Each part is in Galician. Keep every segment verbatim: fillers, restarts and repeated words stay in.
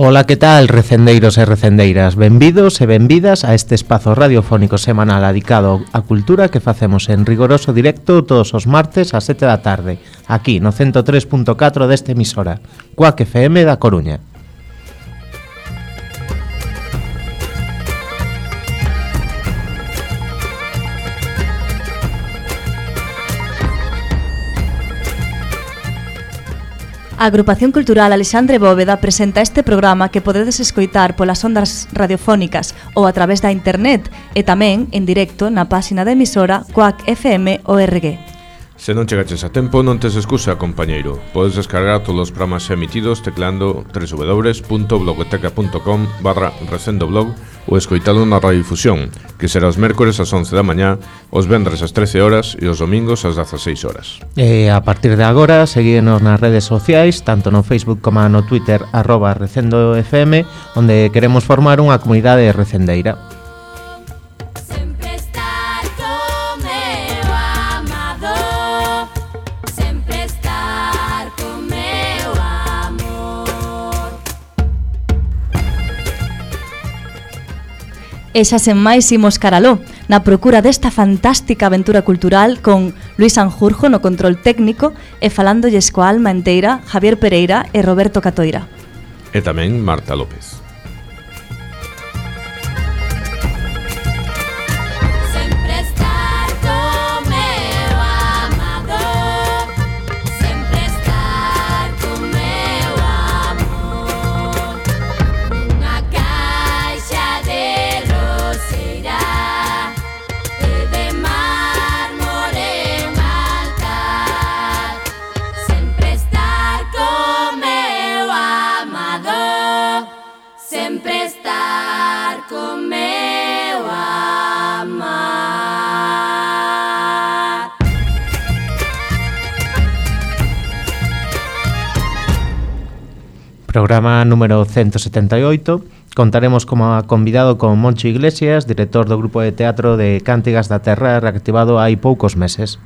Ola, que tal, recendeiros e recendeiras? Benvidos e benvidas a este espazo radiofónico semanal dedicado á cultura que facemos en rigoroso directo todos os martes ás sete da tarde, aquí no ciento tres punto catro deste emisora, Cuac F M da Coruña. A Agrupación Cultural Alexandre Bóveda presenta este programa que podedes escoitar polas ondas radiofónicas ou a través da internet e tamén en directo na páxina da emisora Cuac F M O R G. Se non chegaches a tempo, non tes excusa, compañeiro. Podes descargar todos os programas emitidos teclando w w w punto blogoteca punto com barra recendoblog ou escoitalo na radiodifusión, que será os mércores ás once da mañá, os vendres ás trece horas e os domingos ás dezaseis horas. E a partir de agora, seguídenos nas redes sociais, tanto no Facebook como no Twitter, arroba recendofm, onde queremos formar unha comunidade recendeira. E xa sen máis imos caraló, na procura desta fantástica aventura cultural con Luis Sanjurjo no control técnico e falándolles coa alma enteira Javier Pereira e Roberto Catoira. E tamén Marta López. Programa número ciento setenta e oito. Contaremos como convidado con Moncho Iglesias, director do grupo de teatro de Cántigas da Terra, reactivado hai poucos meses.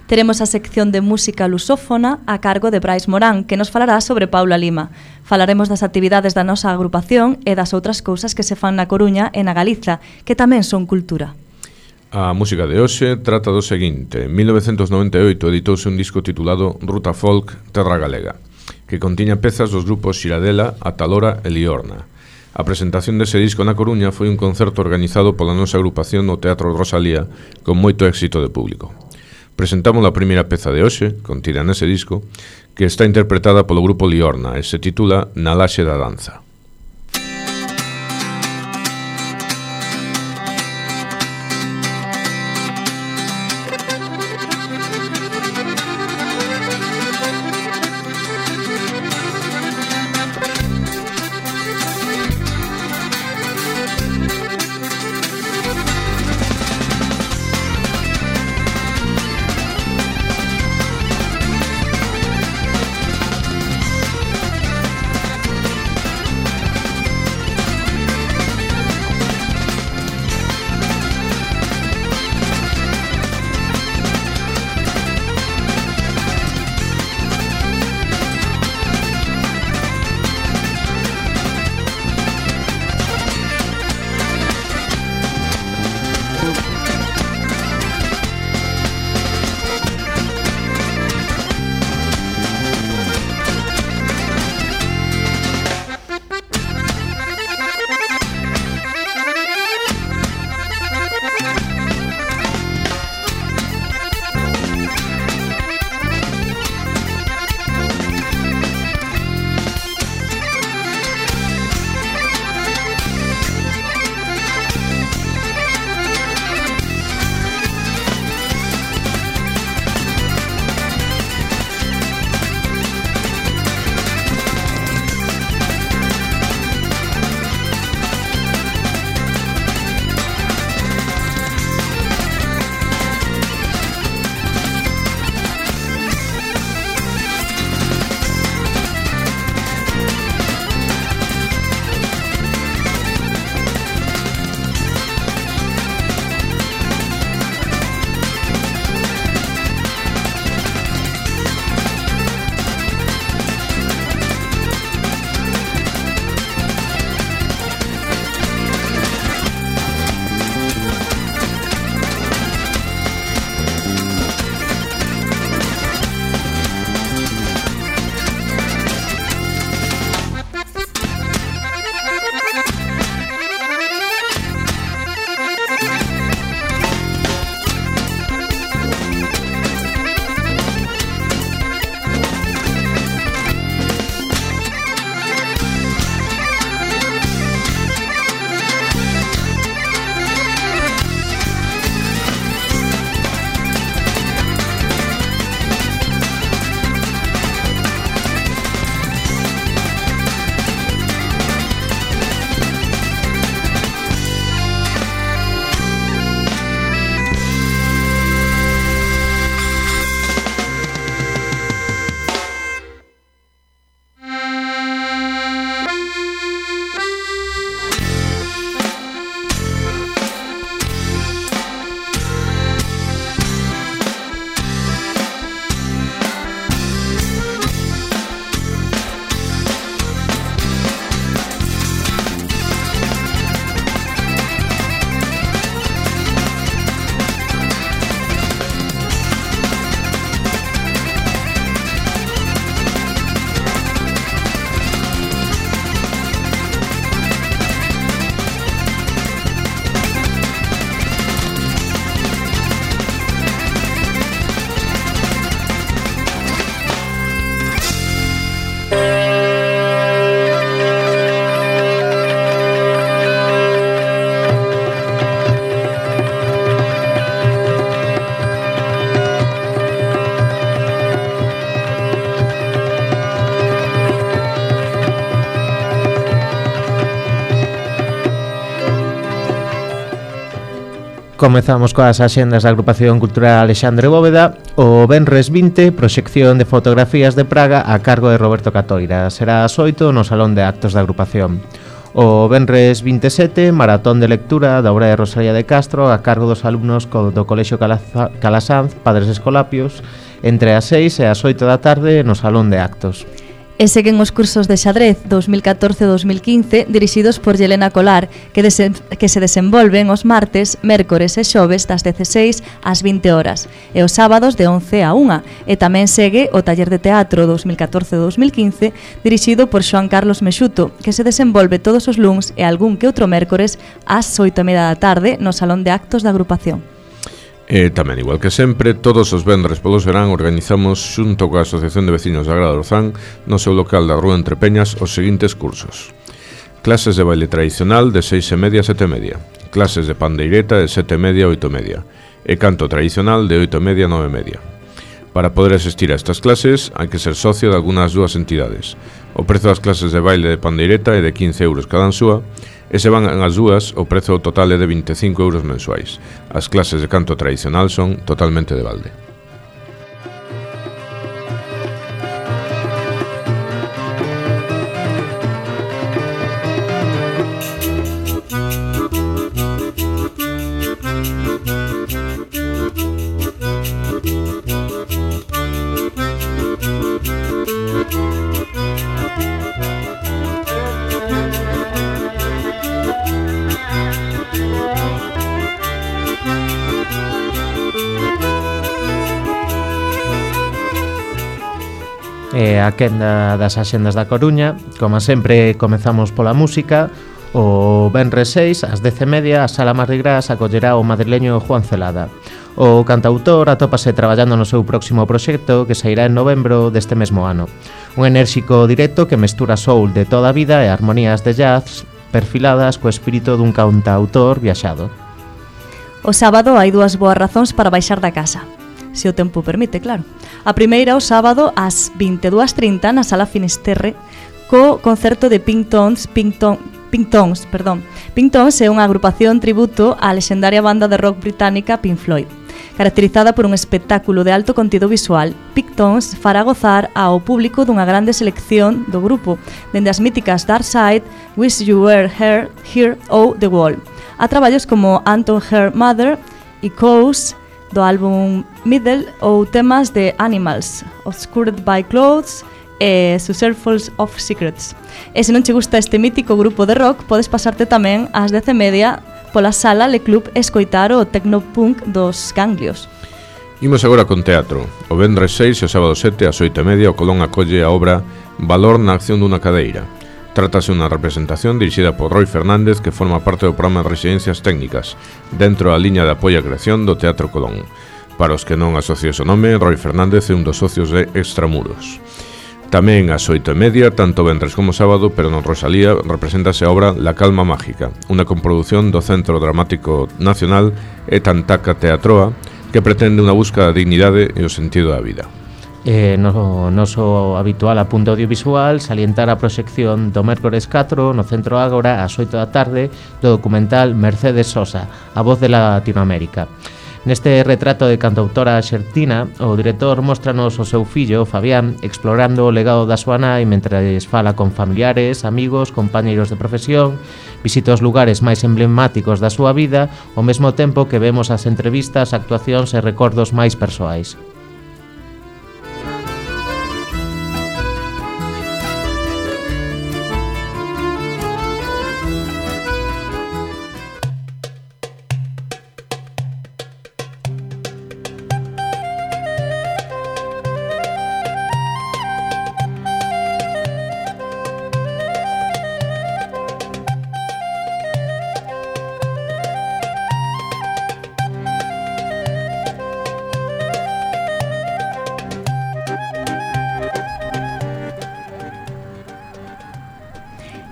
Teremos a sección de música lusófona a cargo de Brais Morán, que nos falará sobre Paula Lima. Falaremos das actividades da nosa agrupación e das outras cousas que se fan na Coruña e na Galiza, que tamén son cultura. A música de hoxe trata do seguinte. En mil novecentos noventa e oito editouse un disco titulado Ruta Folk Terra Galega, que contiña pezas dos grupos Xiradela, Atalora e Liorna. A presentación dese disco na Coruña foi un concerto organizado pola nosa agrupación no Teatro Rosalía con moito éxito de público. Presentamos a primeira peza de hoxe, contida nese disco, que está interpretada polo grupo Liorna e se titula Na Laxe da Danza. Comezamos coas axendas da Agrupación Cultural Alexandre Bóveda. O venres vinte, proxección de fotografías de Praga a cargo de Roberto Catoira. Será ás oito no Salón de Actos da Agrupación. O venres vinte e sete, maratón de lectura da obra de Rosalía de Castro a cargo dos alumnos do Colexio Calasanz, Padres Escolapios, entre as seis e as oito da tarde no Salón de Actos. E seguen os cursos de xadrez dos mil catorce a dos mil quince dirixidos por Yelena Colar, que, desen, que se desenvolven os martes, mércores e xoves das dezaseis ás vinte horas e os sábados de once a unha. E tamén segue o taller de teatro dos mil catorce a dos mil quince dirixido por Xoan Carlos Mexuto, que se desenvolve todos os luns e algún que outro mércores ás oito e media da tarde no Salón de Actos da Agrupación. E tamén, igual que sempre, todos os vendres polos verán organizamos xunto coa Asociación de Vecinos da Grada do Orzán no seu local da Rúa Entre Peñas os seguintes cursos: clases de baile tradicional de seis e media a sete e media, clases de pandeireta de sete e media a oito e media e canto tradicional de oito e media a nove e media. Para poder asistir a estas clases hai que ser socio de algunhas dúas entidades. O prezo das clases de baile de pandeireta é de quince euros cada súa, e se van as dúas, o prezo total é de vinte e cinco euros mensuais. As clases de canto tradicional son totalmente de balde. E a quenda das axendas da Coruña. Como sempre, comezamos pola música. O venres seis, ás dez e media, a Sala Mardi Gras acollerá o madrileño Juan Celada. O cantautor atópase traballando no seu próximo proxecto que sairá en novembro deste mesmo ano. Un enérxico directo que mestura soul de toda a vida e armonías de jazz perfiladas co espírito dun cantautor viaxado. O sábado hai dúas boas razóns para baixar da casa, se o tempo permite, claro. A primeira o sábado ás vinte e dúas e trinta na Sala Finisterre co concerto de Pink Tones, Pink Tones, Pink Tones, perdón. Pink Tones é unha agrupación tributo á lexendaria banda de rock británica Pink Floyd. Caracterizada por un espectáculo de alto contido visual, Pink Tones fará gozar ao público dunha grande selección do grupo, dende as míticas Dark Side, Wish You Were Here, Here ou The Wall, a traballos como Anton Her Mother e Coase do álbum Middle ou temas de Animals, Obscured by Clothes e Successfuls of Secrets. E se non che gusta este mítico grupo de rock, podes pasarte tamén ás dez e media pola sala Le Club escoitar o tecnopunk dos Ganglios. Imos agora con teatro. O venres seis e o sábado sete ás oito e media o Colón acolle a obra Valor na acción dunha cadeira. Trátase unha representación dirixida por Roy Fernández que forma parte do programa de residencias técnicas dentro da liña de apoio á creación do Teatro Colón. Para os que non asocies o nome, Roy Fernández é un dos socios de Extramuros. Tamén ás oito e media, tanto venres como sábado, pero non Rosalía, represéntase a obra La Calma Mágica, unha comprodución do Centro Dramático Nacional e Tantaca Teatroa que pretende unha busca da dignidade e o sentido da vida. Eh, no noso habitual apunte audiovisual, salientar a proxección do mércores catro no Centro Ágora ás oito da tarde do documental Mercedes Sosa, a voz de Latinoamérica. Neste retrato de cantautora arxentina, o director móstranos o seu fillo, Fabián, explorando o legado da súa nai mentres fala con familiares, amigos, compañeiros de profesión, visita os lugares máis emblemáticos da súa vida, ao mesmo tempo que vemos as entrevistas, actuacións e recordos máis persoais.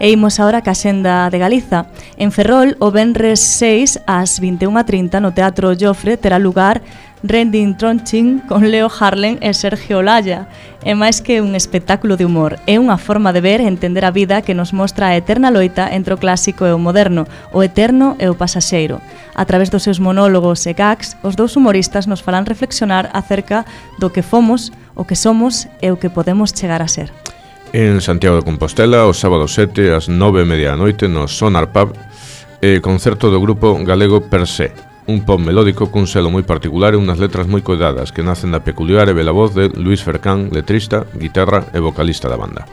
E imos agora ca xenda de Galiza. En Ferrol, o venres seis ás vinte e unha e trinta no Teatro Jofre terá lugar Rending Tronchin con Leo Harlem e Sergio Olaya. É máis que un espectáculo de humor. É unha forma de ver e entender a vida que nos mostra a eterna loita entre o clásico e o moderno, o eterno e o pasaxeiro. A través dos seus monólogos e gags, os dous humoristas nos farán reflexionar acerca do que fomos, o que somos e o que podemos chegar a ser. En Santiago de Compostela, o sábado sete ás nove e media da noite no Sonar Pub, eh, concerto do grupo galego Per Se, un pop melódico cun selo moi particular e unhas letras moi coidadas que nacen da peculiar e bela voz de Luís Fercán, letrista, guitarra e vocalista da banda.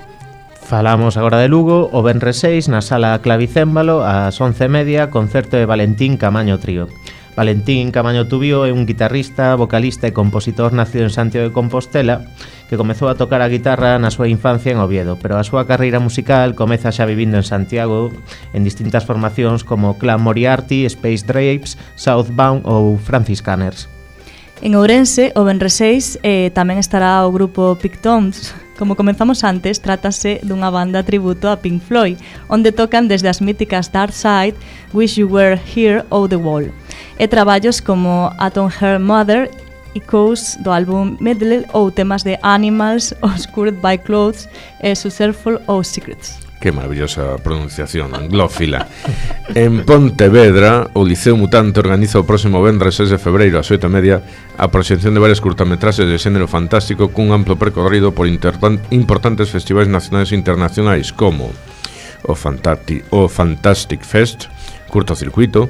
Falamos agora de Lugo, o venres seis na sala Clavicémbalo ás once e media, concerto de Valentín Camaño Trío. Valentín Camaño Tubio é un guitarrista, vocalista e compositor nacido en Santiago de Compostela que comezou a tocar a guitarra na súa infancia en Oviedo, pero a súa carreira musical comeza xa vivindo en Santiago en distintas formacións como Clan Moriarty, Space Drapes, Southbound ou Franciscaners. En Ourense, o venres seis, eh, tamén estará o grupo Pictones. Como comenzamos antes, trátase dunha banda tributo a Pink Floyd, onde tocan desde as míticas Dark Side, Wish You Were Here ou The Wall. E traballos como Atom Her Mother, Echoes do álbum Medley ou temas de Animals, Oscured by Clothes e Successful ou Secrets. Que maravillosa pronunciación, anglófila. En Pontevedra, o Liceo Mutante organiza o próximo venres seis de febreiro ás oito e media a proxección de varias curtametraxes de xénero fantástico cun amplo percorrido por importantes festivais nacionais e internacionais como o, Fantati, o Fantastic Fest, Curtocircuito,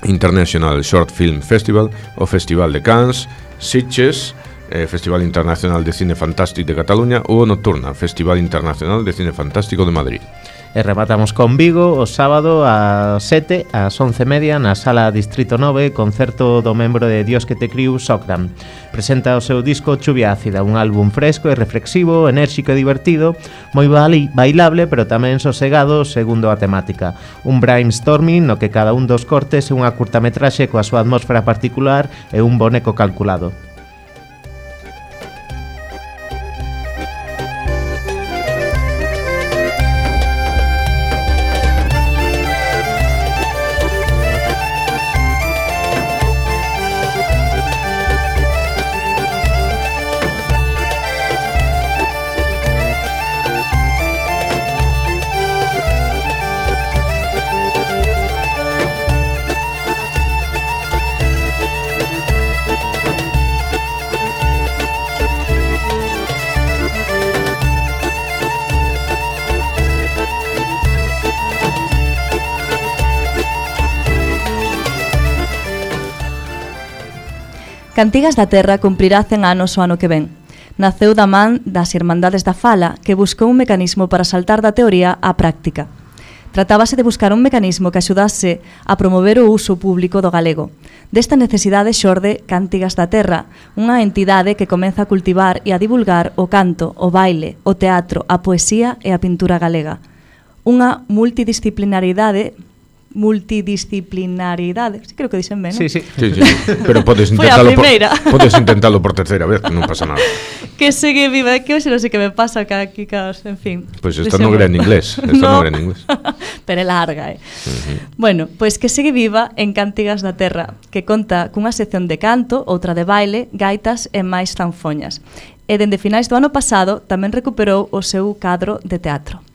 International Short Film Festival, o Festival de Cannes, Sitges, eh, Festival Internacional de Cine Fantástico de Cataluña ou o Nocturna, Festival Internacional de Cine Fantástico de Madrid. E rematamos con Vigo o sábado ás sete ás once e media na sala Distrito nove, concerto do membro de Dios que te criu, Sokran. Presenta o seu disco Chuvia Ácida, un álbum fresco e reflexivo, enérxico e divertido, moi bailable pero tamén sosegado segundo a temática. Un brainstorming no que cada un dos cortes é unha curtametraxe coa súa atmósfera particular e un boneco calculado. Cantigas da Terra cumprirá cen anos o ano que ven. Naceu da man das Irmandades da Fala, que buscou un mecanismo para saltar da teoría á práctica. Tratábase de buscar un mecanismo que axudase a promover o uso público do galego. Desta necesidade xorde Cantigas da Terra, unha entidade que comeza a cultivar e a divulgar o canto, o baile, o teatro, a poesía e a pintura galega. Unha multidisciplinaridade multidisciplinaridade, sí, creo que dicen ben, ¿no? Sí, sí, sí, sí. Pero podes intentalo por, podes intentalo por terceira vez, que non pasa nada. Que segue viva, que hoxe non sei que me pasa que aquí, en fin. Pois pues esta non era en inglés, esta non, no era en inglés. Pero é larga, eh. Uh-huh. Bueno, pois pues que segue viva en Cantigas da Terra, que conta cunha sección de canto, outra de baile, gaitas e máis zanfoñas. E dende finais do ano pasado tamén recuperou o seu cadro de teatro.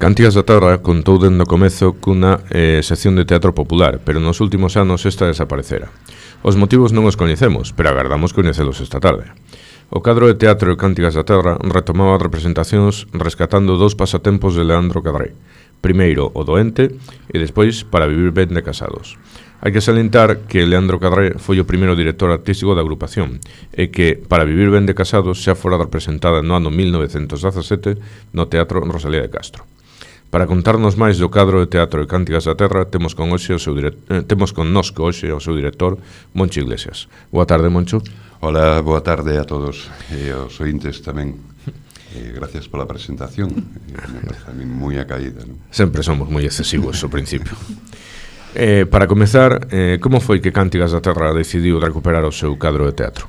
Cantigas da Terra contou dende o comezo cunha eh, sección de teatro popular, pero nos últimos anos esta desaparecera. Os motivos non os coñecemos, pero agardamos coñecelos esta tarde. O cadro de teatro de Cantigas da Terra retomaba as representacións rescatando dous pasatempos de Leandro Cadré. Primeiro, o doente, e despois, Para vivir ben de casados. Hai que salientar que Leandro Cadré foi o primeiro director artístico da agrupación e que Para vivir ben de casados xa fora representada no ano mil novecentos dezasete no Teatro Rosalía de Castro. Para contarnos máis do cadro de teatro de Cantigas da Terra, temos con hoxe o seu direct... eh, temos con nosco hoxe o seu director, Moncho Iglesias. Boa tarde, Moncho. Hola, boa tarde a todos e aos ointes tamén. Eh, gracias pola presentación. Eh, me parece a mí moi acaída, ¿no? Sempre somos moi excesivos ao principio. Eh, para comezar, eh, como foi que Cantigas da Terra decidiu recuperar o seu cadro de teatro?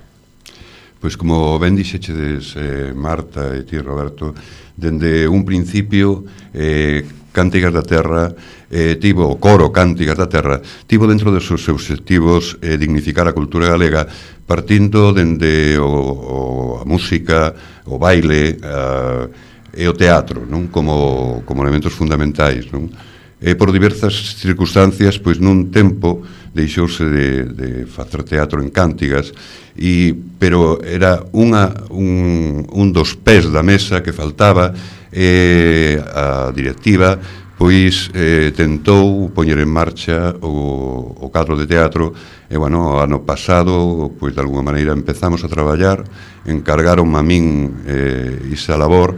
Pois como ben dixechedes, eh, Marta e ti, Roberto, dende un principio eh, Cántigas da Terra eh, tivo, o coro Cántigas da Terra tivo dentro dos seus obxectivos eh, dignificar a cultura galega partindo dende o, o, a música, o baile a, e o teatro, non? Como, como elementos fundamentais, non? E por diversas circunstancias, pois nun tempo deixouse de, de facer teatro en Cántigas, e, pero era unha, un, un dos pés da mesa que faltaba, e a directiva pois eh, tentou poñer en marcha o, o cadro de teatro e, bueno, ano pasado, pois de alguna maneira empezamos a traballar, encargaron a min eh, esa labor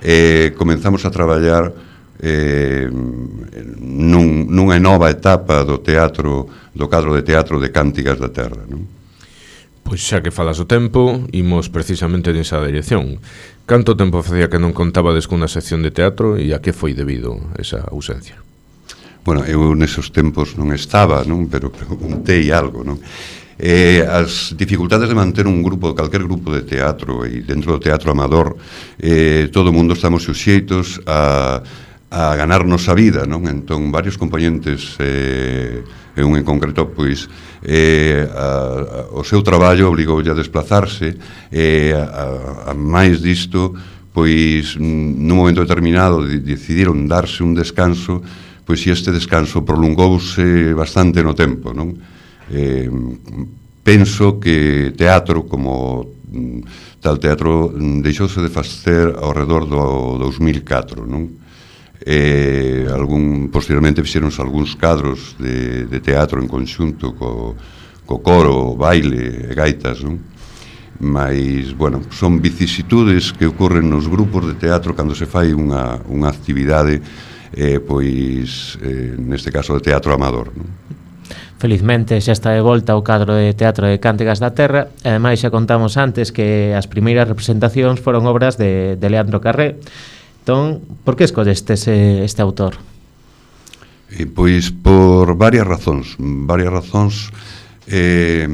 e comenzamos a traballar eh, nun, nunha nova etapa do teatro, do cadro de teatro de Cántigas da Terra, non? Pois xa que falas o tempo, imos precisamente nesa dirección. Canto tempo facía que non contabades cunha sección de teatro e a que foi debido esa ausencia? Bueno, eu nesos tempos non estaba, non? Pero preguntei algo, non? Eh, as dificultades de manter un grupo, calquer grupo de teatro, e dentro do teatro amador, eh, todo o mundo estamos suxeitos a, a ganarnos a vida, non? Entón, varios componentes, eh, e un en concreto, pois, eh, a, a, o seu traballo obligoulle a desplazarse, e a, a, a máis disto, pois, nun momento determinado de, decidiron darse un descanso, pois, e este descanso prolongouse bastante no tempo, non? Eh, penso que teatro, como tal teatro, deixouse de facer ao redor do dos mil catro, non? Eh, algún, posteriormente fixeronse algúns cadros de, de teatro en conxunto co, co coro, baile e gaitas, non? Mas, bueno, son vicisitudes que ocorren nos grupos de teatro cando se fai unha, unha actividade, eh, pois, eh, neste caso de teatro amador, non? Felizmente xa está de volta o cadro de teatro de Cántigas da Terra, e ademais xa contamos antes que as primeiras representacións foron obras de, de Leandro Carré. Entón, por que escollestes este, este autor? E, pois por varias razóns, varias razóns, eh,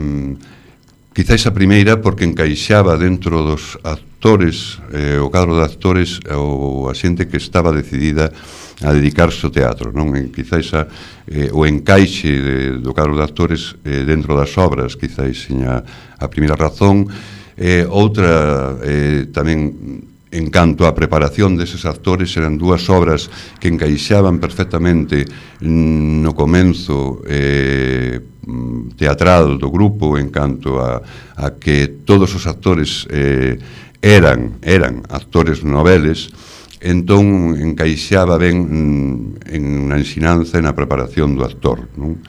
quizáis a primeira porque encaixaba dentro dos actores, eh, o cadro de actores, ou a xente que estaba decidida a dedicarse ao teatro, non? E quizáis a, eh, o encaixe de, do cadro de actores eh, dentro das obras, quizáis seña a primeira razón. Eh, outra, eh, tamén, en canto á preparación deses actores, eran dúas obras que encaixaban perfectamente no comenzo eh, teatral do grupo, en canto a, a que todos os actores eh, eran, eran actores noveles. Entón encaixaba ben en na ensinanza e na preparación do actor, non?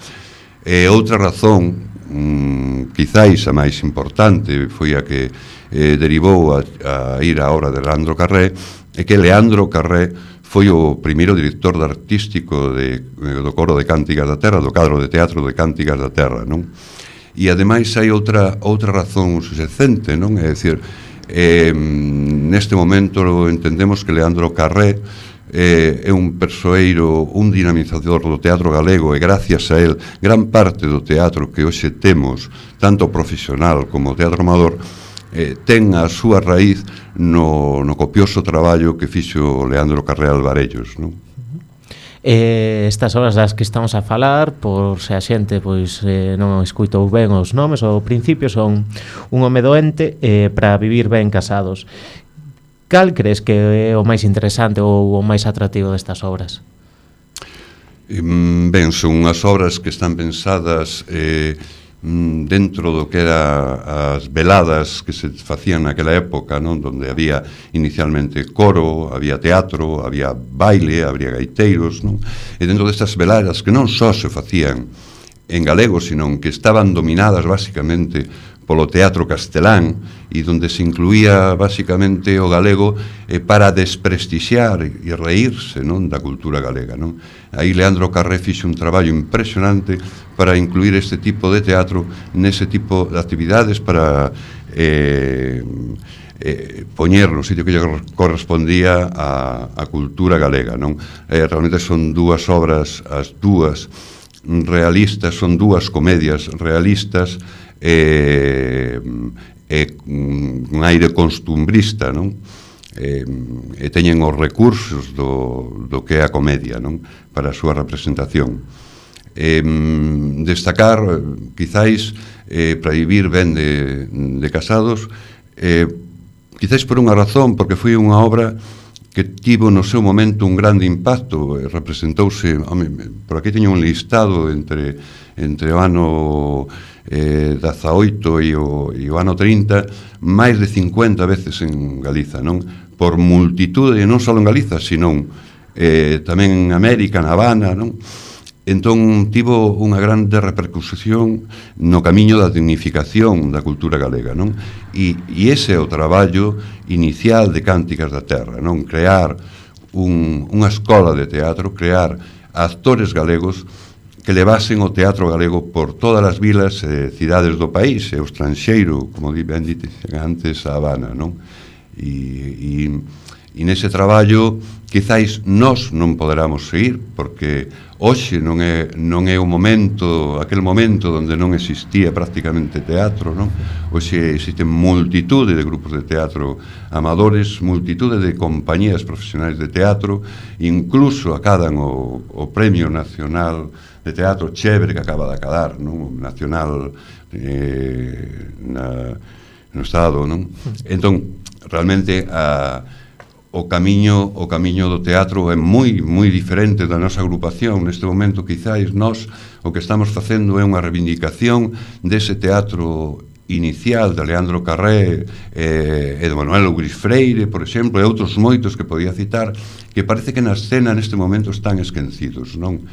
E outra razón, mm, quizáis a máis importante, foi a que eh, derivou a, a ir á obra de Leandro Carré, é que Leandro Carré foi o primeiro director artístico de, do coro de Cántigas da Terra, do cadro de teatro de Cántigas da Terra, non? E ademais hai outra, outra razón subsecente, non? É dicir, Eh, neste momento entendemos que Leandro Carré eh, é un persoeiro, un dinamizador do teatro galego, e gracias a él gran parte do teatro que hoxe temos, tanto profesional como teatro amador, eh, ten a súa raíz no, no copioso traballo que fixo Leandro Carré Alvarellos, non? Eh, estas obras das que estamos a falar, por se a xente pois eh, non escuitou ben os nomes, ao principio son Un home doente eh, para vivir ben casados. Cal crees que é o máis interesante ou o máis atractivo destas obras? Ben, son unhas obras que están pensadas eh, dentro do que era as veladas que se facían naquela época, non? Donde había inicialmente coro, había teatro, había baile, había gaiteiros, non? E dentro destas veladas que non só se facían en galego, sino que estaban dominadas basicamente polo teatro castelán, e donde se incluía basicamente o galego eh, para desprestixiar e reírse, non, da cultura galega, non? Aí Leandro Carré fixe un traballo impresionante para incluir este tipo de teatro nese tipo de actividades, para eh, eh, poñer no sitio que lle correspondía a, a cultura galega, non? Eh, realmente son dúas obras, as dúas realistas, son dúas comedias realistas, e eh, eh, un aire costumbrista, non? eh, e teñen os recursos do, do que é a comedia, non? Para a súa representación. Eh, destacar, quizáis, eh, para vivir ben de, de casados, eh, quizáis por unha razón, porque foi unha obra que tivo no seu momento un grande impacto, eh, representouse, home, por aquí teño un listado entre, entre o ano eh, dezaoito e o, e o ano trinta, máis de cincuenta veces en Galiza, non? Por multitude, non só en Galiza, sino eh, tamén en América, na Habana, non? Entón, tivo unha grande repercusión no camiño da dignificación da cultura galega, non? E, e ese é o traballo inicial de Cánticas da Terra, non? Crear un, unha escola de teatro, crear actores galegos que levasen o teatro galego por todas as vilas e eh, cidades do país, e o estranxeiro, como ben dite antes, a Habana, non? E, e, e nese traballo, quizáis nós non poderamos seguir, porque hoxe non é, non é o momento, aquel momento onde non existía prácticamente teatro, non? Hoxe existen multitude de grupos de teatro amadores, multitude de compañías profesionais de teatro, incluso acadan o, o Premio Nacional de Teatro Chévere que acaba de acadar, non? Nacional eh, na, no Estado, non? Entón, realmente a o camiño o camiño do teatro é moi moi diferente da nosa agrupación. Neste momento, quizáis, nós o que estamos facendo é unha reivindicación dese teatro inicial de Leandro Carré eh, e de Manuel Luis Freire, por exemplo, e outros moitos que podía citar, que parece que na escena neste momento están esquecidos, non?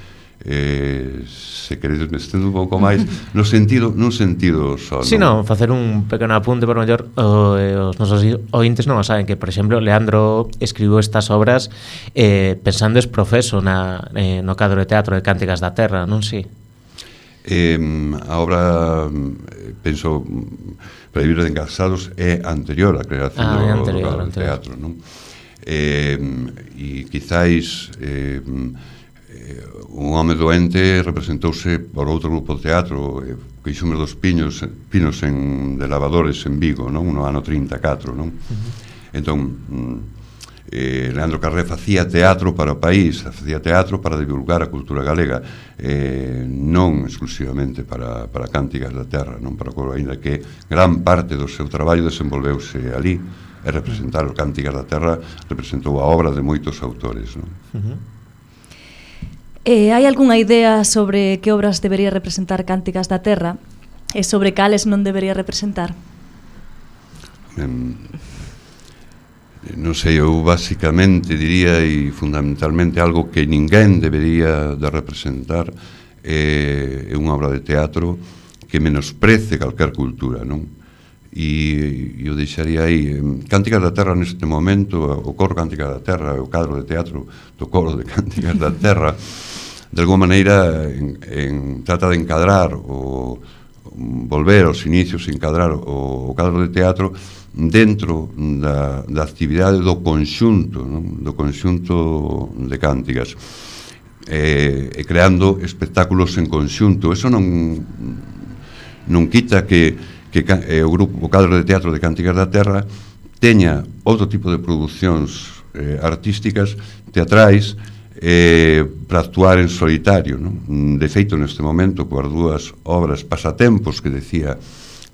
Eh, se queredes me estendo un pouco máis no sentido, nun sentido só, si, non? non, facer un pequeno apunte por mellor o, eh, os nosos ointes non o saben, que por exemplo Leandro escribiu estas obras eh, pensando es profeso na, eh, no cadro de teatro de Cánticas da Terra, non si? Eh, a obra, penso, para vivir de encasados é anterior á creación ah, do, anterior, do, do teatro, non? Eh, e quizáis eh, un home doente representouse por outro grupo de teatro, eh, Queixumes dos Pinos, Pinos en, de Lavadores en Vigo, non? No ano trinta e catro, non? Uh-huh. Entón, eh, Leandro Carré facía teatro para o país, facía teatro para divulgar a cultura galega, eh, non exclusivamente para, para Cánticas da Terra, non para o coro, ainda que gran parte do seu traballo desenvolveuse ali, e representar o Cánticas da Terra representou a obra de moitos autores, non? Uh-huh. Eh, hai algunha idea sobre que obras debería representar Cánticas da Terra e sobre cales non debería representar? Um, non sei, eu basicamente diría, e fundamentalmente algo que ninguén debería de representar é, é unha obra de teatro que menosprece calquer cultura, non? E eu deixaría aí Cánticas da Terra neste momento, o coro Cánticas da Terra, o cadro de teatro do coro de Cánticas da Terra, de alguma maneira en, en, trata de encadrar o volver aos inicios, encadrar o, o cadro de teatro dentro da, da actividade do conxunto, non? Do conxunto de cánticas, e, e creando espectáculos en conxunto. Eso non non quita que, que eh, o grupo o cadro de teatro de Cánticas da Terra teña outro tipo de producións eh, artísticas, teatrais, eh, para actuar en solitario, non? De feito, neste momento, coas dúas obras Pasatempos que decía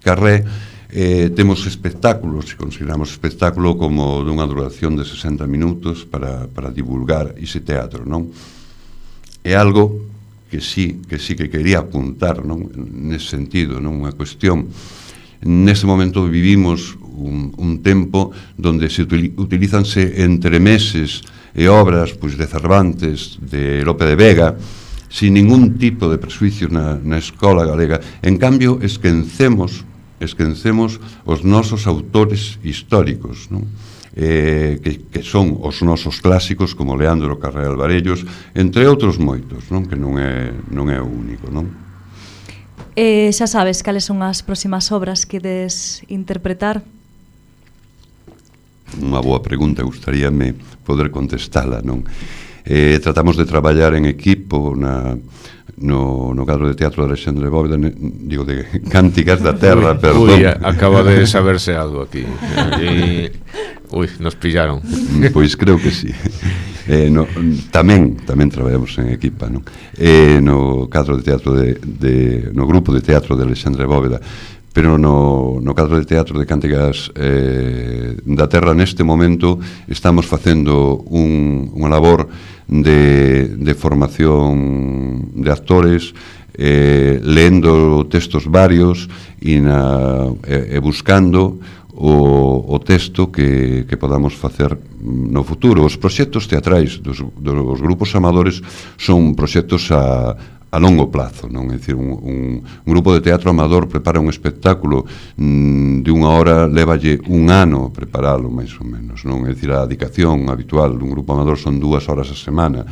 Carré, eh, temos espectáculos, se consideramos espectáculo como dunha duración de sesenta minutos para, para divulgar ese teatro, non? É algo que sí, que sí que quería apuntar, non? Nese sentido, non? Unha cuestión. Neste momento vivimos un, un tempo donde se utilizanse entremeses e obras, pois, de Cervantes, de Lope de Vega, sin ningún tipo de presuicio na, na escola galega. En cambio, esquecemos, esquecemos os nosos autores históricos, non? Eh, que, que son os nosos clásicos, como Leandro Carré Alvarellos, entre outros moitos, non? Que non é, non é o único, non? Eh, xa sabes cales son as próximas obras que des interpretar? Unha boa pregunta, gustaríame poder contestala, non? Eh, tratamos de traballar en equipo na, no, no cadro de teatro de Alexandre Bóveda, ne, digo, de Cánticas da Terra, uy, perdón. Uy, acaba de saberse algo aquí. E, Ui, nos pillaron. Pois creo que sí. Eh, no, tamén tamén traballamos en equipa, non? Eh, no cadro de teatro de, de no grupo de teatro de Alexandre Bóveda, pero no, no cadro de teatro de Cántigas eh, da Terra neste momento estamos facendo un, unha labor de, de formación de actores, eh, lendo textos varios e, na, e, e buscando o, o texto que, que podamos facer no futuro. Os proxectos teatrais dos, dos grupos amadores son proxectos a, a longo plazo, non? É dicir, un, un, un grupo de teatro amador prepara un espectáculo mm, de unha hora, lévalle un ano preparalo, máis ou menos, non? É dicir, a dedicación habitual dun grupo amador son dúas horas a semana.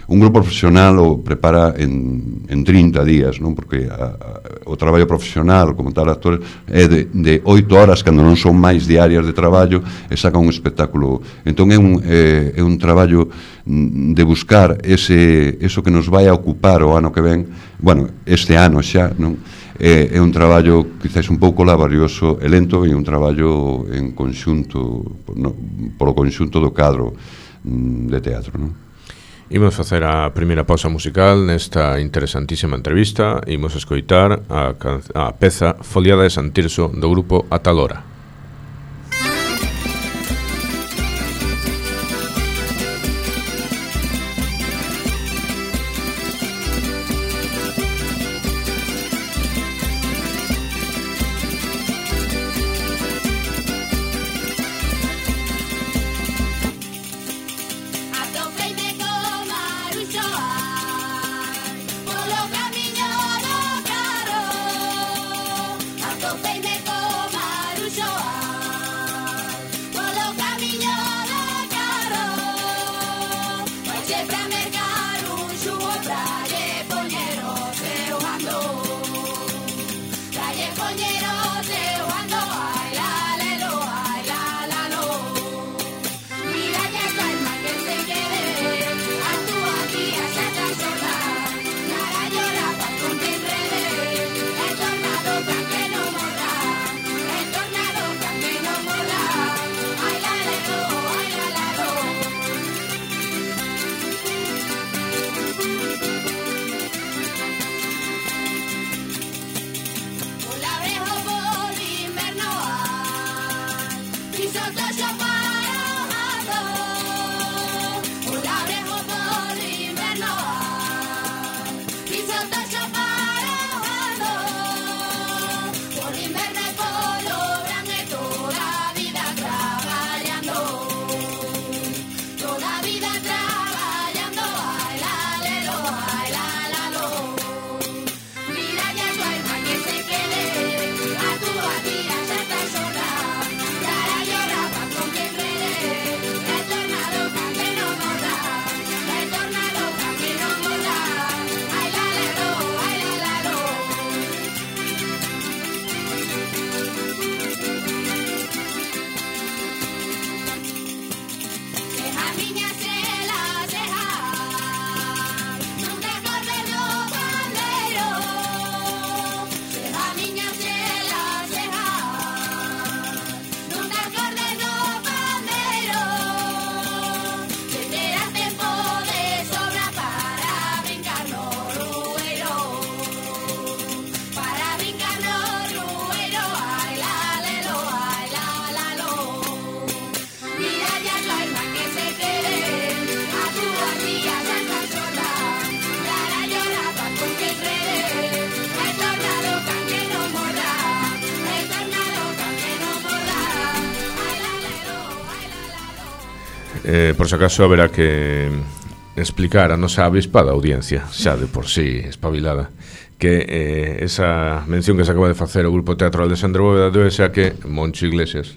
Un grupo profesional o prepara en, en trinta días, non? Porque a, a, o traballo profesional, como tal actor, é de, de oito horas, cando non son máis diarias de traballo, e saca un espectáculo. Entón é un, é, é un traballo de buscar ese, eso que nos vai a ocupar o ano que ven, bueno, este ano xa, non? É, é un traballo quizás un pouco laborioso e lento, e un traballo en conxunto, no, polo conxunto do cadro de teatro, non? Imos facer a primeira pausa musical nesta interesantísima entrevista. Imos escoitar a, a peza Foliada de San Tirso do grupo Atalora. Eh, por si acaso haberá que explicar a nosa avispada audiencia, xa de por sí espabilada, que eh, esa mención que se acaba de facer o Grupo Teatro Alexandre Bóveda debe ser que Moncho Iglesias,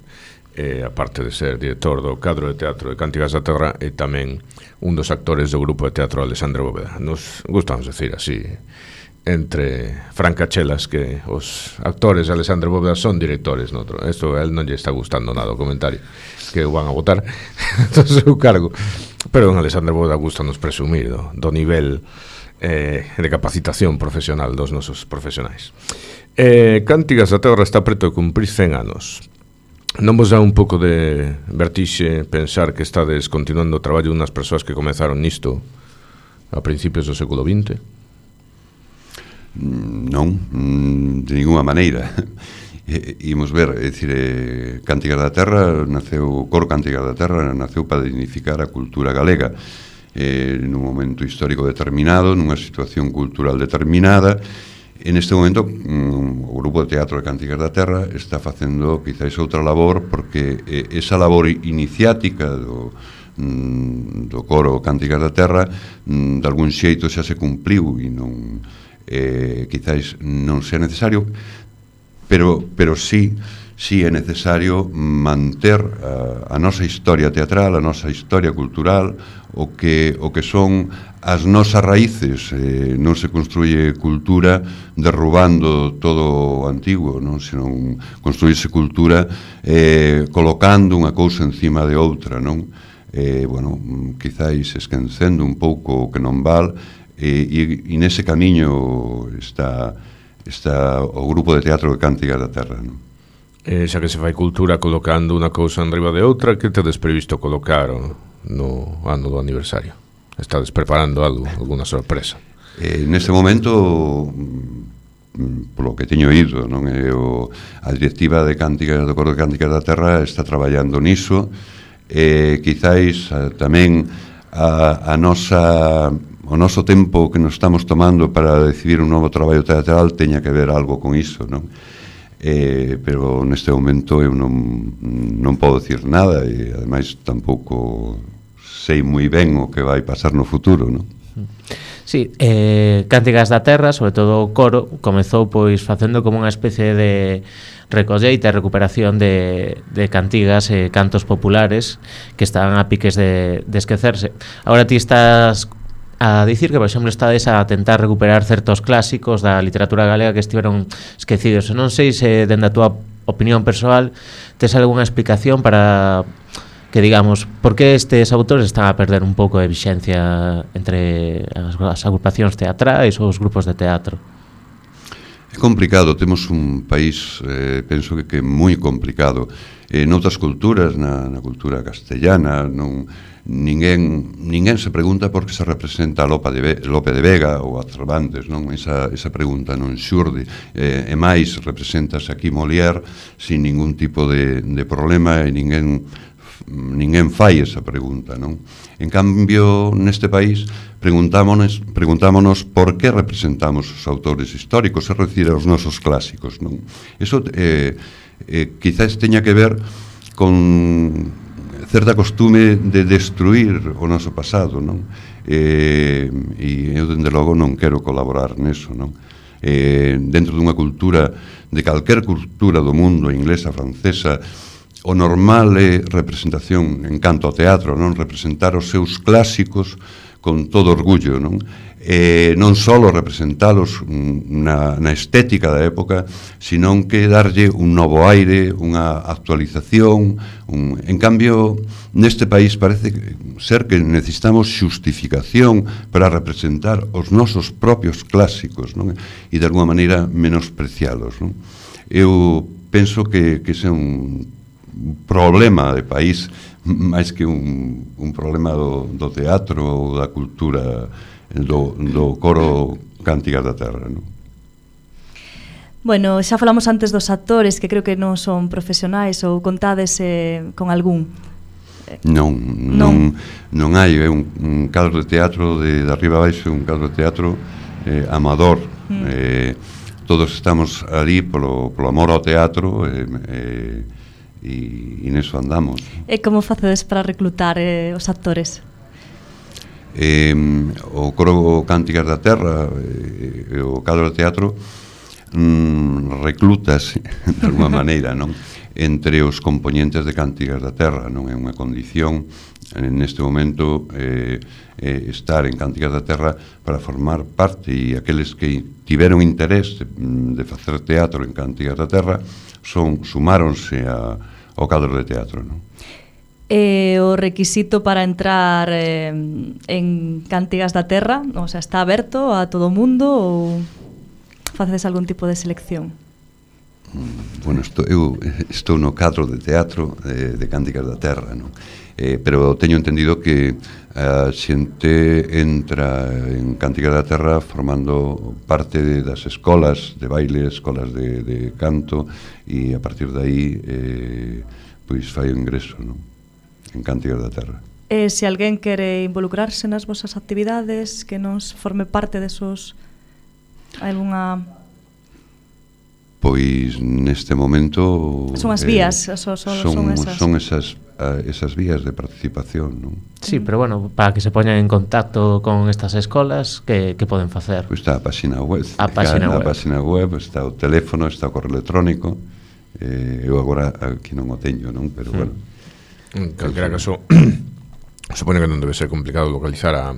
eh, aparte de ser director do cadro de teatro de Cántigas da Terra, é tamén un dos actores do Grupo de Teatro Alexandre Bóveda. Nos gustamos decir así, entre francachelas, que os actores de Alexandre Bóveda son directores. Noutro. Esto a él non lle está gustando nada o comentario, que o van a votar do seu cargo. Pero en Alexandre Bóveda gusta nos presumir do, do nivel eh, de capacitación profesional dos nosos profesionais. Eh, Cántigas da Terra está preto de cumprir cen anos. Non vos dá un pouco de vertixe pensar que estades continuando o traballo unhas persoas que comezaron nisto a principios do século vinte? Non, de ninguna maneira. Imos ver, é dicir, eh, Cánticas da Terra naceu, o coro Cánticas da Terra naceu para dignificar a cultura galega eh, nun momento histórico determinado, nunha situación cultural determinada. En este momento mm, o grupo de teatro de Cánticas da Terra está facendo quizáis outra labor, porque eh, esa labor iniciática do, mm, do coro Cánticas da Terra mm, de algún xeito xa se cumpliu e non eh, quizáis non sea necesario, pero, pero sí sí é necesario manter a, a nosa historia teatral, a nosa historia cultural, o que, o que son as nosas raíces. Eh, non se construye cultura derrubando todo o antigo, non? Senón construirse cultura eh, colocando unha cousa encima de outra, non? Eh, bueno, quizáis esquecendo un pouco o que non val, eh, e, e nese camiño está, está o grupo de teatro de Cánticas da Terra, non? Eh, xa que se fai cultura colocando unha cousa en riba de outra, que tedes previsto colocar no ano do aniversario? Estades preparando algo, alguna sorpresa? Eh, neste momento, polo que teño ido, non é o, a directiva de Cánticas do coro de Cánticas da Terra está traballando niso. Eh, quizáis a, tamén a, a nosa o noso tempo que nos estamos tomando para decidir un novo traballo teatral teña que ver algo con iso, non? Eh, pero neste momento eu non, non podo dicir nada, e ademais tampouco sei moi ben o que vai pasar no futuro, non? Sí, eh, Cánticas da Terra, sobre todo o coro, comezou pois facendo como unha especie de recolleita e recuperación de, de cantigas e cantos populares que estaban a piques de, de esquecerse. Agora ti estás a dicir que, por exemplo, estades a tentar recuperar certos clásicos da literatura galega que estiveron esquecidos. Non sei se, dende a túa opinión persoal, tes algunha explicación para que, digamos, por que estes autores están a perder un pouco de vixencia entre as, as agrupacións teatrais ou os grupos de teatro? É complicado, temos un país, eh, penso que, que é moi complicado. Eh, noutras culturas, na, na cultura castellana, non... Ninguén, ninguén se pregunta por que se representa a Lope de, Ve, Lope de Vega ou a Cervantes, non? Esa, esa pregunta non xurde. Eh, e máis, representase aquí Molière sin ningún tipo de, de problema, e ninguén, ninguén fai esa pregunta, non? En cambio, neste país preguntámonos, preguntámonos por que representamos os autores históricos, é dicir, os nosos clásicos, non? Eso eh, eh, quizás teña que ver con certa costume de destruir o noso pasado, non? Eh, e eu, dende logo, non quero colaborar neso, non? Eh, dentro dunha cultura, de calquer cultura do mundo, inglesa, francesa, o normal é representación en canto ao teatro, non? Representar os seus clásicos con todo orgullo, non? Eh, non só representalos na, na estética da época, senón que darlle un novo aire, unha actualización. Un... En cambio, neste país parece ser que necesitamos xustificación para representar os nosos propios clásicos, non? E de alguma maneira menosprecialos, non? Eu penso que, que ese é un problema de país máis que un, un problema do, do teatro ou da cultura do, do coro Cánticas da Terra, non? Bueno, xa falamos antes dos actores que creo que non son profesionais, ou contades eh, con algún? Non, non, non hai, é un, un cadro de teatro de, de arriba abaixo, un cadro de teatro eh, amador. Mm. Eh, todos estamos ali polo, polo amor ao teatro, e eh, eh, e neso andamos. E como facedes para reclutar eh, os actores? Eh, o coro Cánticas da Terra e eh, o cadro de teatro mm, reclutas de alguma maneira, non? Entre os componentes de Cánticas da Terra, non é unha condición neste momento eh, eh, estar en Cánticas da Terra para formar parte, e aqueles que tiveron interés de, de facer teatro en Cánticas da Terra son sumáronse a, ao cadro de teatro, non? E o requisito para entrar eh, en Cánticas da Terra, o sea, está aberto a todo o mundo ou facedes algún tipo de selección? Bueno, estou, eu estou no cadro de teatro de, de Cánticas da Terra, non? Eh, pero teño entendido que a xente entra en Cánticas da Terra formando parte de, das escolas de baile, escolas de, de canto, e a partir de aí eh, pois fai o ingreso, non? En Cánticas da Terra. E se alguén quere involucrarse nas vosas actividades, que nos forme parte desos... Alguna... Pois neste momento son as vías, eh, so, so, son, son esas son esas, uh, esas vías de participación, non? Sí, pero bueno, para que se poñan en contacto con estas escolas, que, que poden facer? Pois está a página web, a página web. web. A página web, está o teléfono, está o correo electrónico. Eh, eu agora aquí non o teño, non? Pero mm. bueno. En calquera caso, supone que non debe ser complicado localizar a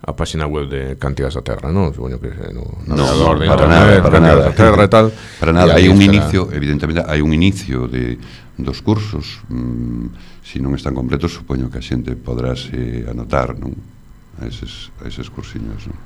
a página web de Cánticas da Terra, non? Supoño que no, no, no de para nada, para nada. Da Terra e tal. Para nada, hai un inicio, evidentemente, hai un inicio de dos cursos. Mm, se non están completos, supoño que a xente podráse anotar, non? A eses, a eses cursiños, non?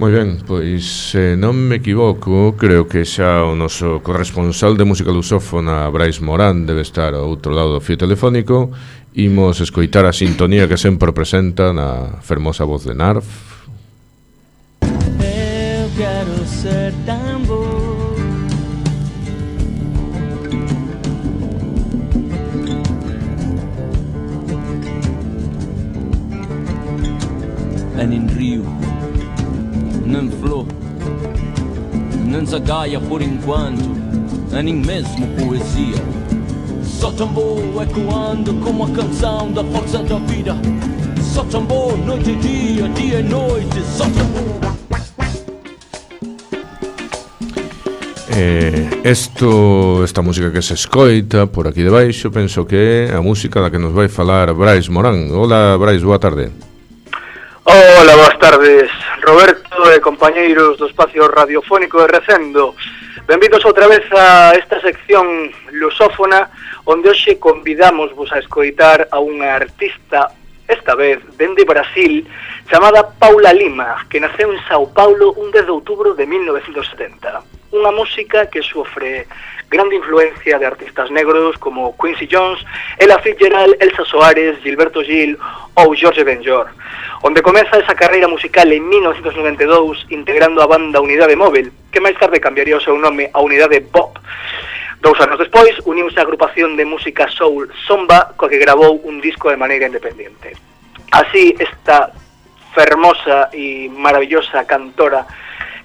Moi ben, pois se non me equivoco, creo que xa o noso corresponsal de música lusófona, Brais Morán, debe estar ao outro lado do fío telefónico. Imos escoitar a sintonía que sempre presenta na fermosa voz de Narf. Eu quero ser tan bo, é nin río, nen flor, nen zagaia por enquanto, é nin mesmo poesia. Só tambor ecoando como a canção da força da vida. Só tambor noite e dia, dia e noite. Só tambor. Eh, esto, esta música que se escoita por aquí debaixo, penso que é a música da que nos vai falar Brais Morán. Hola, Brais, boa tarde. Hola, boas tardes, Roberto e compañeiros do espacio radiofónico de Recendo. Benvidos outra vez a esta sección lusófona, onde hoxe convidamos vos a escoitar a unha artista, esta vez dende Brasil, chamada Paula Lima, que naceu en Sao Paulo un dez de outubro de mil novecentos setenta. Unha música que sofre grande influencia de artistas negros como Quincy Jones, Ella Fitzgerald, Elsa Soares, Gilberto Gil ou Jorge Benjor, onde comeza esa carreira musical en mil novecentos noventa e dous integrando a banda Unidade Móvil, que máis tarde cambiaría o seu nome a Unidade Pop. Dous anos despois, uniuse a agrupación de música soul Zomba, coa que gravou un disco de maneira independente. Así, esta fermosa e maravillosa cantora,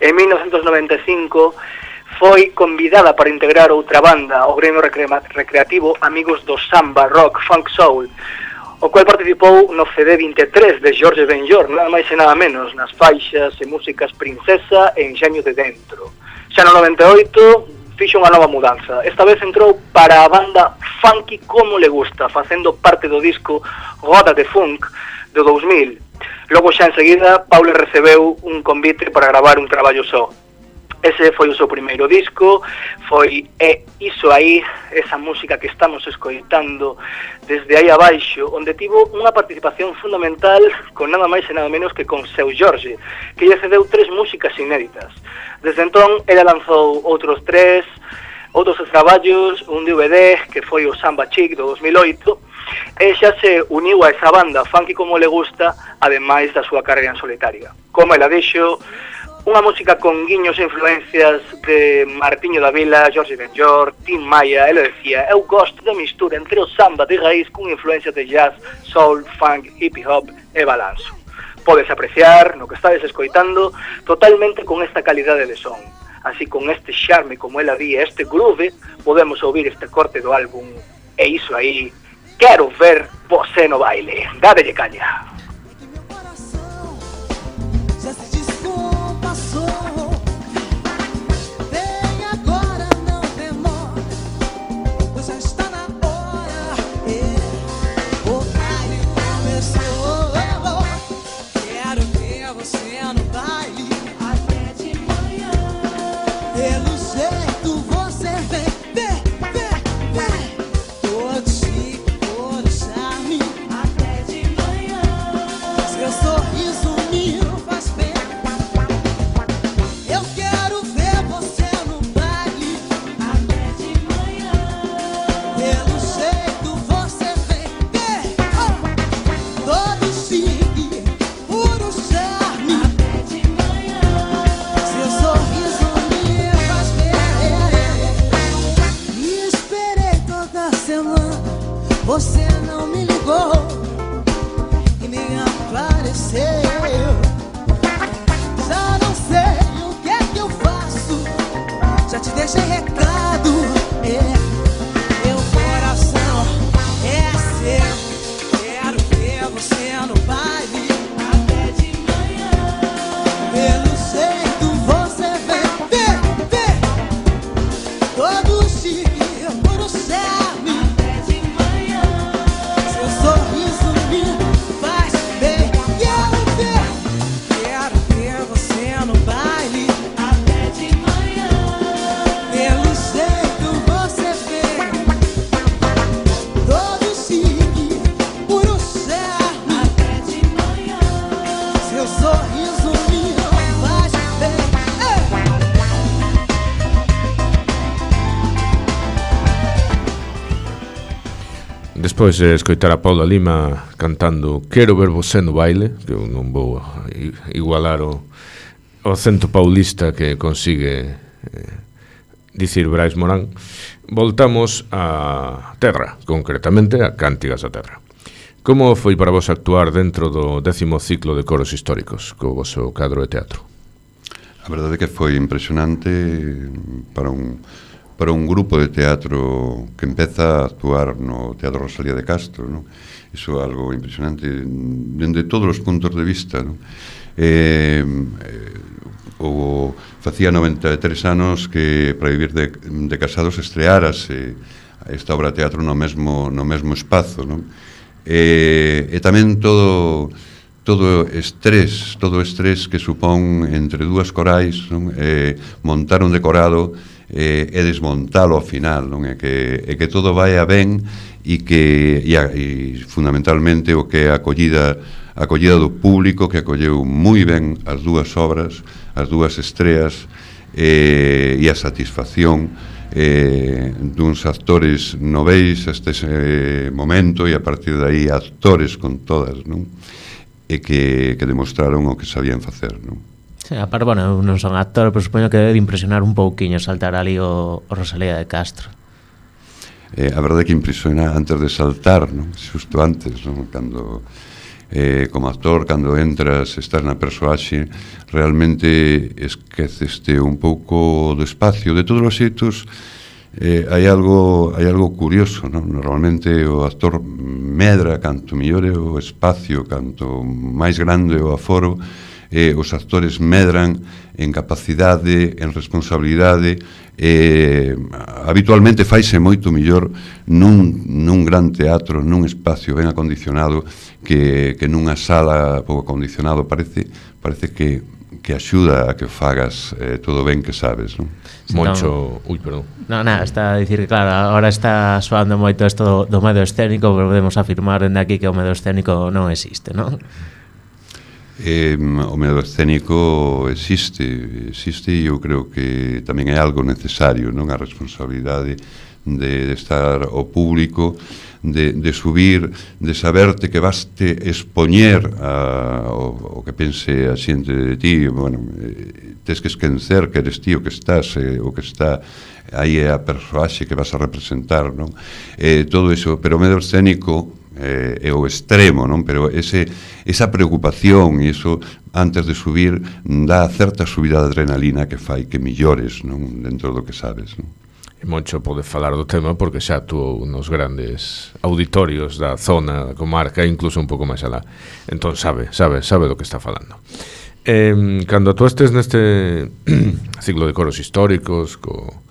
en mil novecentos noventa e cinco, foi convidada para integrar outra banda, o gremio recreativo Amigos do Samba, Rock, Funk Soul, o cual participou no C D vinte e tres de Jorge Benjor, nada máis e nada menos, nas faixas e músicas Princesa e Enxeño de Dentro. Xa no noventa e oito fixo unha nova mudanza. Esta vez entrou para a banda Funky Como Le Gusta, facendo parte do disco Roda de Funk do dous mil. Logo xa enseguida, Paula recebeu un convite para gravar un traballo só. Ese foi o seu primeiro disco, foi É Iso Aí, esa música que estamos escoitando desde aí abaixo, onde tivo unha participación fundamental con nada máis e nada menos que con Seu Jorge, que lle cedeu tres músicas inéditas. Desde entón, ela lanzou outros tres, outros traballos, un D V D que foi o Samba Chic do dos mil oito, e xa se uniu a esa banda Funky Como Le Gusta, ademais da súa carreira en solitaria. Como ela dixo, unha música con guiños e influencias de Martiño da Vila, Jorge Benjor, Tim Maya. Ela decía, eu gosto da mistura entre o samba de raíz con influencias de jazz, soul, funk, hip hop e balanzo. Podes apreciar, no que estades escoitando, totalmente con esta calidade de son. Así, con este charme, como ela di, este groove, podemos ouvir este corte do álbum E Iso Aí, Quero Ver Você no Baile. Dádelle caña. Despois de escoitar a Paula Lima cantando Quero ver você no baile, que eu non vou igualar o, o acento paulista que consigue eh, dicir Brais Morán, voltamos a terra, concretamente a Cántigas da Terra. Como foi para vos actuar dentro do décimo ciclo de coros históricos co vosso cadro de teatro? A verdade é que foi impresionante para un para un grupo de teatro que empeza a actuar no Teatro Rosalía de Castro, ¿no? Iso é algo impresionante dende todos os puntos de vista, ¿no? Eh, eh, o facía noventa e tres anos que para vivir de, de casados estreárase esta obra de teatro no mesmo, no mesmo espazo, ¿no? Eh, e tamén todo todo estrés, todo estrés que supón entre dúas corais, non? Eh, montar un decorado eh, e desmontalo ao final, non? E que, e que todo vai a ben e que e, a, e fundamentalmente o que é a acollida a acollida do público que acolleu moi ben as dúas obras, as dúas estreas eh, e a satisfacción eh, duns actores noveis este ese momento e a partir de aí actores con todas, non? E que, que demostraron o que sabían facer, non? Sí, aparte, bueno, non son actor, pero supoño que debe de impresionar un pouquiño saltar ali o, o Rosalía de Castro. Eh, a verdade é que impresiona antes de saltar, non? Xusto antes, non? Cando, eh, como actor, cando entras, estás na persoaxe, realmente esqueceste un pouco do espacio. De todos os xeitos, eh, hai algo hai algo curioso, non? Normalmente o actor medra canto mellor é o espacio, canto máis grande o aforo, eh, os actores medran en capacidade, en responsabilidade, eh, habitualmente faise moito mellor nun, nun gran teatro, nun espacio ben acondicionado que, que nunha sala pouco acondicionado. Parece, parece que, que axuda a que fagas eh, todo ben que sabes, non? Moncho, ui, perdón. No, nada, está a dicir que claro, agora está soando moito isto do, do medo escénico, pero podemos afirmar dende aquí que o medo escénico non existe, non? Eh, o medo escénico existe, existe e eu creo que tamén é algo necesario, non? A responsabilidade de, de estar ao público, de, de subir, de saberte que vaste expoñer a, o, o que pense a xente de ti, bueno, eh, tes que esquecer que eres ti o que estás, eh, o que está aí é a persoaxe que vas a representar, non? Eh, todo iso, pero o medo escénico eh, é o extremo, non? Pero ese, esa preocupación e iso antes de subir dá certa subida de adrenalina que fai que millores, non? Dentro do que sabes, non? E Moncho pode falar do tema porque xa actuou nos grandes auditorios da zona, da comarca, incluso un pouco máis alá. Entón sabe, sabe, sabe do que está falando. Eh, cando actuastes neste ciclo de coros históricos co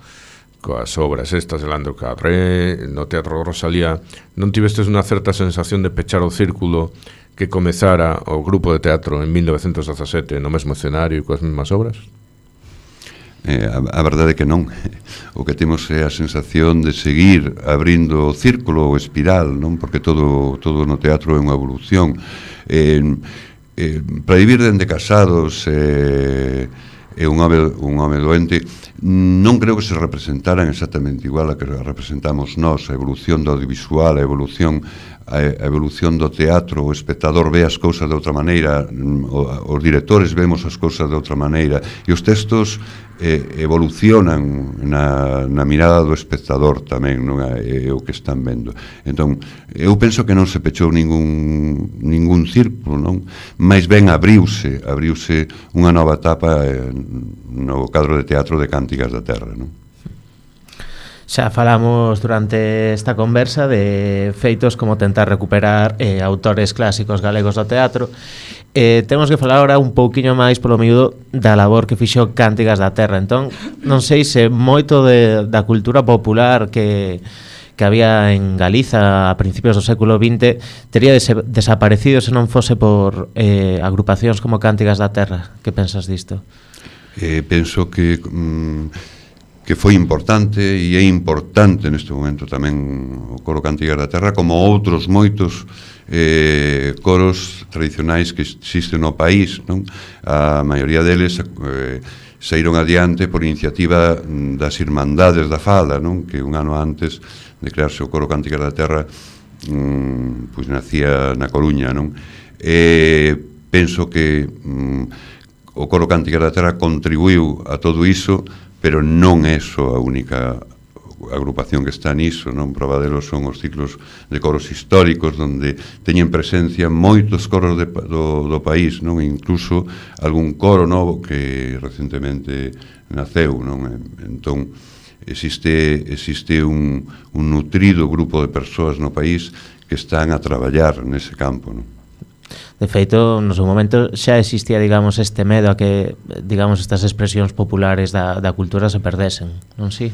coas obras estas de Leandro Carré no Teatro Rosalía, non tivestes unha certa sensación de pechar o círculo que comezara o grupo de teatro en mil novecentos dezasete no mesmo escenario e coas mesmas obras? Eh, a, a verdade é que non. O que temos é a sensación de seguir abrindo o círculo ou espiral, non? Porque todo, todo no teatro é unha evolución. Eh, eh, para vivir dende casados eh, é un home, un home doente, non creo que se representaran exactamente igual a que representamos nós, a evolución do audiovisual, a evolución a evolución do teatro, o espectador ve as cousas de outra maneira, os directores vemos as cousas de outra maneira, e os textos eh, evolucionan na, na mirada do espectador tamén, non é, é o que están vendo. Entón, eu penso que non se pechou ningún, ningún círculo, non? Mais ben abriuse, abriuse unha nova etapa eh, no cadro de teatro de Cántigas da Terra, non? Xa falamos durante esta conversa de feitos como tentar recuperar eh, autores clásicos galegos do teatro. Eh, temos que falar agora un pouquiño máis polo miúdo da labor que fixo Cántigas da Terra. Entón, non sei se moito de, da cultura popular que, que había en Galiza a principios do século vinte tería des desaparecido se non fose por eh, agrupacións como Cántigas da Terra. Que pensas disto? Eh, penso que... Mm, que foi importante e é importante neste momento tamén o coro Cántigas da Terra, como outros moitos eh, coros tradicionais que existen no país, non? A maioría deles eh, saíron adiante por iniciativa das Irmandades da Fala, non? Que un ano antes de crearse o coro Cántigas da Terra mm, pois nacía na Coruña, non? E penso que mm, o Coro Cántigas da Terra contribuiu a todo iso, pero non é só a única agrupación que está niso, non? Prova delos son os ciclos de coros históricos donde teñen presencia moitos coros de, do, do país, non? E incluso algún coro novo que recentemente naceu, non? Entón existe existe un, un nutrido grupo de persoas no país que están a traballar nese campo, non? De feito, no seu momento xa existía, digamos, este medo a que, digamos, estas expresións populares da, da cultura se perdesen, non si?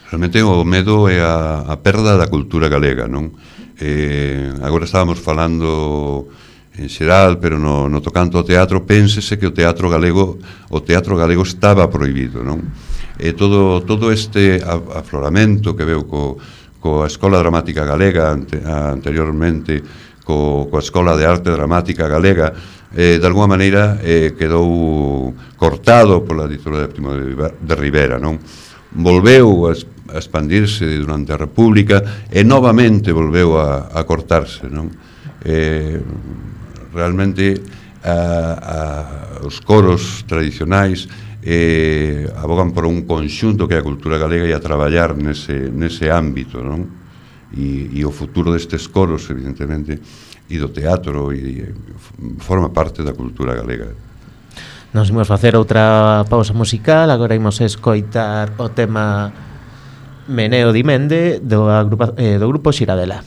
Realmente o medo é a, a perda da cultura galega, non? Eh, agora estábamos falando en xeral, pero no, no tocante ao teatro, pénsese que o teatro galego o teatro galego estaba prohibido, non? E todo, todo este afloramento que veu co, coa Escola Dramática Galega ante, anteriormente, co, coa Escola de Arte Dramática Galega, eh, de alguma maneira eh, quedou cortado pola dictadura de Primo de Rivera, non? Volveu a a expandirse durante a República e novamente volveu a, a cortarse, non? Eh, realmente a, a, os coros tradicionais eh, abogan por un conxunto que é a cultura galega e a traballar nese, nese ámbito, non? E, e o futuro destes coros, evidentemente, e do teatro e, e forma parte da cultura galega. Nos imos facer outra pausa musical, agora imos escoitar o tema Meneo di Mende do, agrupa, eh, do grupo Xiradela.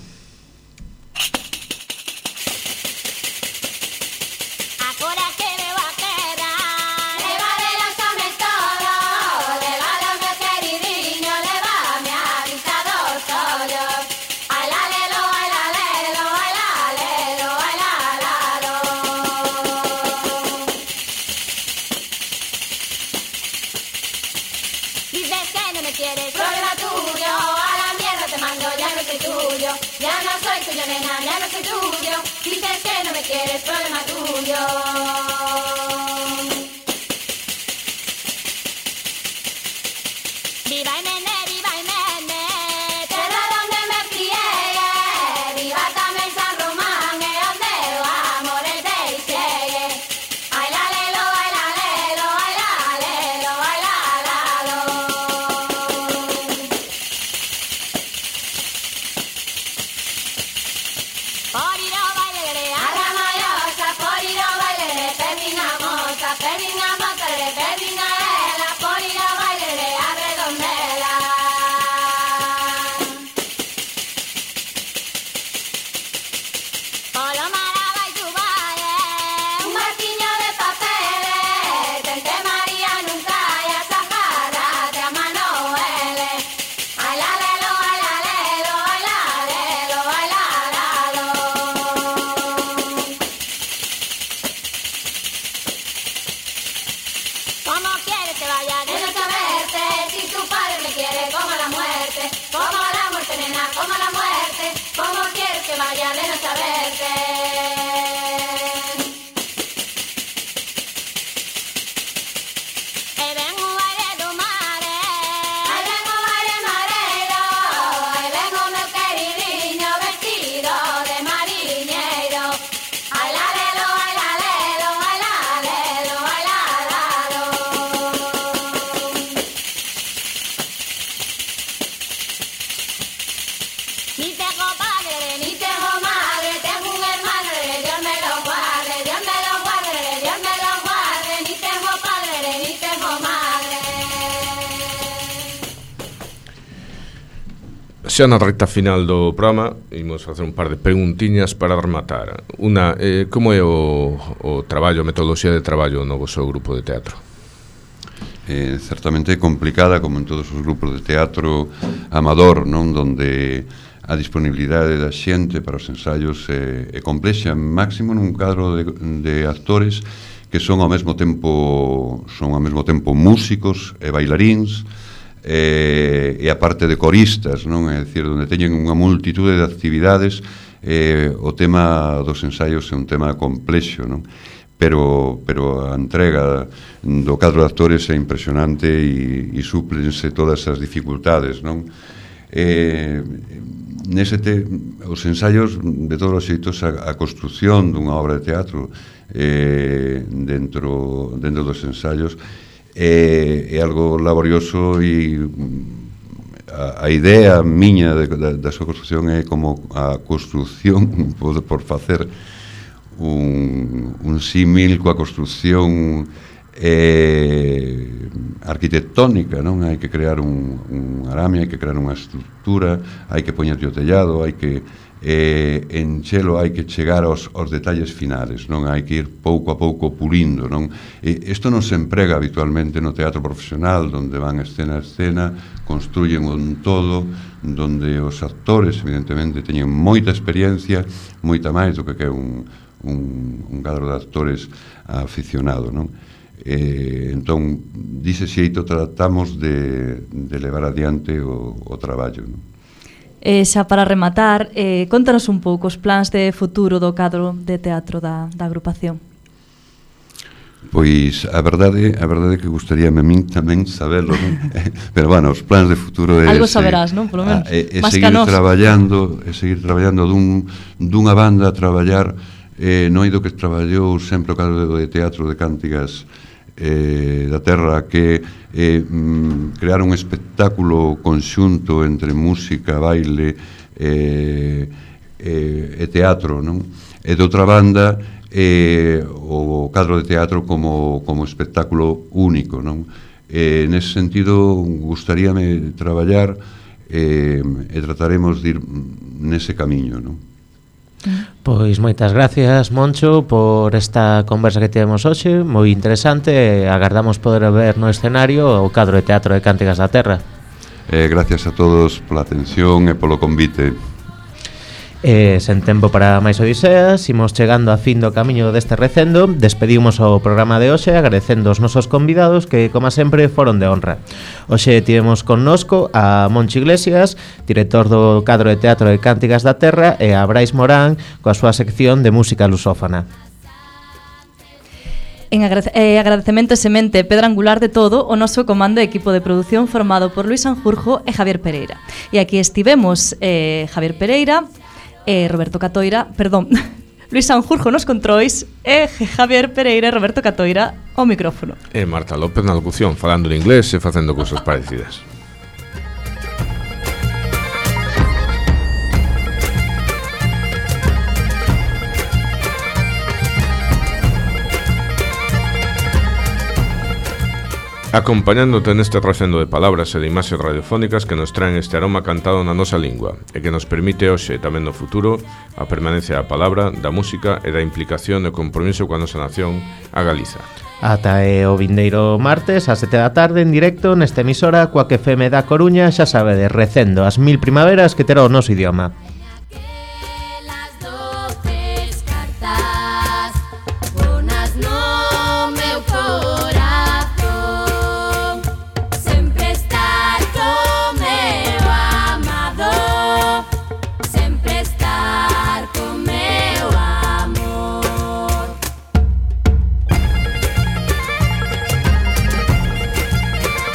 Xa na recta final do programa imos facer un par de preguntiñas para rematar. Una, eh, como é o, o traballo, a metodoloxía de traballo no vosso grupo de teatro? Eh, certamente complicada, como en todos os grupos de teatro amador, non? Donde a disponibilidade da xente para os ensaios é, é complexa, máximo nun cadro de, de actores que son ao mesmo tempo son ao mesmo tempo músicos e bailaríns, e, e a parte de coristas, non? É dicir, onde teñen unha multitude de actividades, eh, o tema dos ensaios é un tema complexo, non? Pero, pero a entrega do cadro de actores é impresionante e, e súplense todas as dificultades, non? Eh, nese te, os ensaios, de todos os xeitos, a, a construción dunha obra de teatro eh, dentro, dentro dos ensaios é, é algo laborioso e a, a idea miña de, da, da súa construción é como a construción por, por facer un, un símil coa construción eh, arquitectónica, non? Hai que crear un, un arame, hai que crear unha estructura, hai que poñer o tellado, hai que eh, enchelo, hai que chegar aos, aos detalles finales, non? Hai que ir pouco a pouco pulindo, non? E isto non se emprega habitualmente no teatro profesional, donde van escena a escena, construyen un todo, donde os actores, evidentemente, teñen moita experiencia, moita máis do que que un, un, un cadro de actores aficionado, non? Eh, entón, dice xeito tratamos de, de levar adiante o, o traballo, non? E xa para rematar, eh, contanos un pouco os plans de futuro do cadro de teatro da, da agrupación. Pois a verdade, a verdade é que gustaríame a min tamén sabelo, non? Pero bueno, os plans de futuro é algo saberás, non? Por lo menos. É, é seguir traballando, é seguir traballando dun, dunha banda a traballar eh, no eido que traballou sempre o cadro de teatro de Cántigas eh, da Terra, que eh, mm, crear un espectáculo conxunto entre música, baile eh, eh, e teatro, non? E de outra banda eh, o cadro de teatro como, como espectáculo único, non? Eh, nese sentido gustaríame traballar eh, e trataremos de ir nese camiño, non? Pois moitas gracias, Moncho, por esta conversa que tivemos hoxe, moi interesante. Agardamos poder ver no escenario o cadro de teatro de Cántigas da Terra. Eh, gracias a todos pola atención e polo convite. E sen tempo para máis odiseas, imos chegando a fin do camiño deste recendo. Despedimos o programa de hoxe agradecendo os nosos convidados que, como sempre, foron de honra. Hoxe tivemos connosco a Moncho Iglesias, director do cadro de teatro de Cántigas da Terra, e a Brais Morán coa súa sección de música lusófona. En agrade- eh, agradecemento e semente pedra angular de todo o noso comando e equipo de produción formado por Luis Sanjurjo e Javier Pereira. E aquí estivemos eh, Javier Pereira, e Roberto Catoira, perdón, Luis Sanjurjo nos controis e Javier Pereira e Roberto Catoira ao micrófono. E Marta López na locución, falando en inglés e facendo cousas parecidas. Acompañándote neste recendo de palabras e de imaxes radiofónicas que nos traen este aroma cantado na nosa lingua e que nos permite hoxe e tamén no futuro a permanencia da palabra, da música e da implicación e compromiso coa nosa nación, a Galiza. Ata e o vindeiro martes a sete da tarde en directo nesta emisora coa que F M da Coruña, xa sabedes, recendo as mil primaveras que terá o noso idioma.